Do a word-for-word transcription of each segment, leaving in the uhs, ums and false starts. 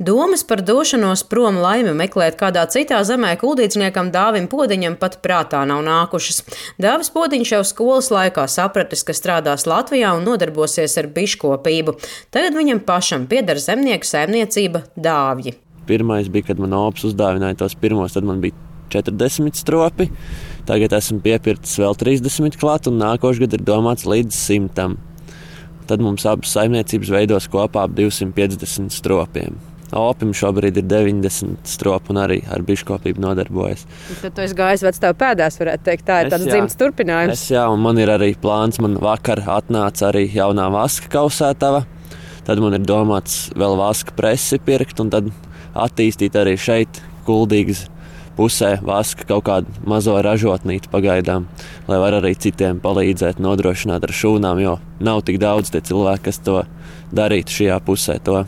Domas par došanos prom laimi meklēt kādā citā zemē kuldīdzniekam Dāvim Podiņam pat prātā nav nākušas. Dāvis Podiņš jau skolas laikā sapratis, ka strādās Latvijā un nodarbosies ar biškopību. Tagad viņam pašam pieder zemnieku saimniecība Dāvji. Pirmais bija, kad man ops uzdāvināja tos pirmos, tad man bija četrdesmit stropi. Tagad esmu piepircis vēl trīsdesmit klāt un nākošais gads ir domāts līdz simtam. Tad mums abas saimniecības veidos kopā ap divsimt piecdesmit stropiem. Opim šobrīd ir deviņdesmit stropi un arī ar biškopību nodarbojas. Tad tu esi gājis vecstāvu pēdās, varētu teikt, tā ir tāds dzimts turpinājums. Es, jā, un man ir arī plāns, man vakar atnāca arī jaunā vaska kausētava. Tad man ir domāts vēl vaska presi pirkt un tad attīstīt arī šeit Kuldīgas pusē vaska kaut kādu mazo ražotnīti pagaidām, lai var arī citiem palīdzēt nodrošināt ar šūnām, jo nav tik daudz tie cilvēki, kas to darītu šajā pusē to.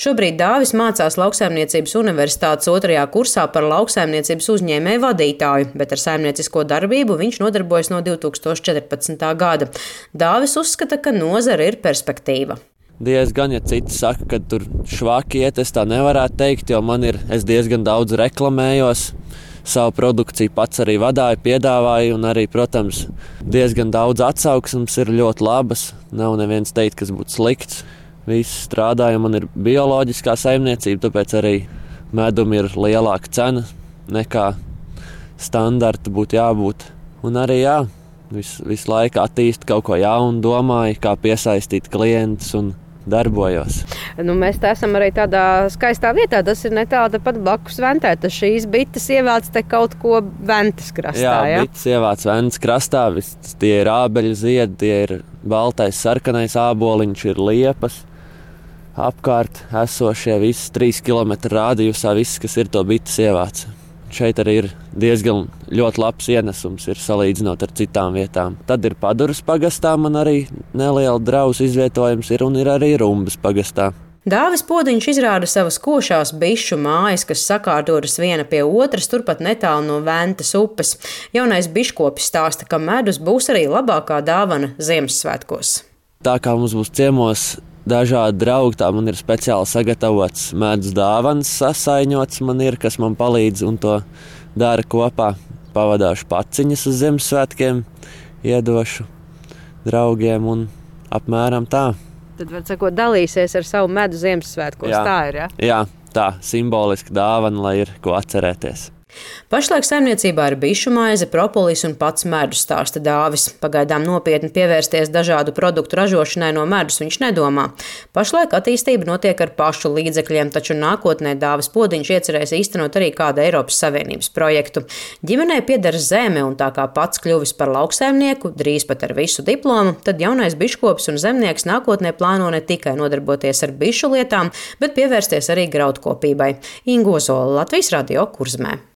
Šobrīd Dāvis mācās Lauksaimniecības universitātes otrajā kursā par lauksaimniecības uzņēmēju vadītāju, bet ar saimniecisko darbību viņš nodarbojas no divi tūkstoši četrpadsmitā gada. Dāvis uzskata, ka nozare ir perspektīva. Diezgan, ja citi saka, ka tur švaki iet, es tā nevarētu teikt, jo man ir, es diezgan daudz reklamējos, savu produkciju pats arī vadāju, piedāvāju un arī, protams, diezgan daudz atsauksmes ir ļoti labas. Nav neviens teikt, kas būtu slikts. Viss strādāja, man ir bioloģiskā saimniecība, tāpēc arī medum ir lielāka cena nekā standarta būtu jābūt. Un arī jā, visu, visu laiku attīst kaut ko jaunu, domāju, kā piesaistīt klientus un darbojos. Nu, mēs te esam arī tādā skaistā vietā, tas ir netālu pat blakus Ventē. Tas šīs bites ievāc te kaut ko Ventas krastā, jā? Jā, ja? bites ievāc Ventas krastā, vis, tie ir ābeļu ziedi, tie ir baltais, sarkanais āboliņš, ir liepas. Apkārt esošie visas trīs kilometru rādījusā, viss, kas ir to bites ievāc. Šeit arī ir diezgan ļoti labs ienesums, ir salīdzinot ar citām vietām. Tad ir Paduras pagastā, man arī neliela drausa izvietojums ir un ir arī Rumbas pagastā. Dāvis Podiņš izrāda savas košās bišu mājas, kas sakārtotas viena pie otras, turpat netālu no Ventas upes. Jaunais biškopis stāsta, ka medus būs arī labākā dāvana Ziemassvētkos. Tā kā mums būs ciemos dažādi draugi, tā man ir speciāli sagatavots medus dāvanas sasaiņots, man ir, kas man palīdz un to dara kopā. Pavadāšu paciņas uz Ziemassvētkiem, iedošu draugiem un apmēram tā. Tad, var sakot, dalīsies ar savu medu Ziemassvētkos, jā. Tā ir, ja? Jā, tā, simboliska dāvana, lai ir ko atcerēties. Pašlaik saimniecībā ir bišu maize, propolis un pats medus, stāsta Dāvis. Pagaidām nopietni pievērsties dažādu produktu ražošanai no medus viņš nedomā. Pašlaik attīstība notiek ar pašu līdzekļiem, taču nākotnē Dāvis Podiņš iecerēs īstenot arī kādu Eiropas Savienības projektu. Ģimenei pieder zeme un tā kā pats kļuvis par lauksaimnieku, drīz pat ar visu diplomu, tad jaunais biškops un zemnieks nākotnē plāno ne tikai nodarboties ar bišu lietām, bet pievērsties arī graudkopībai. Inga Ozola, Latvijas Radio, Kurzemē.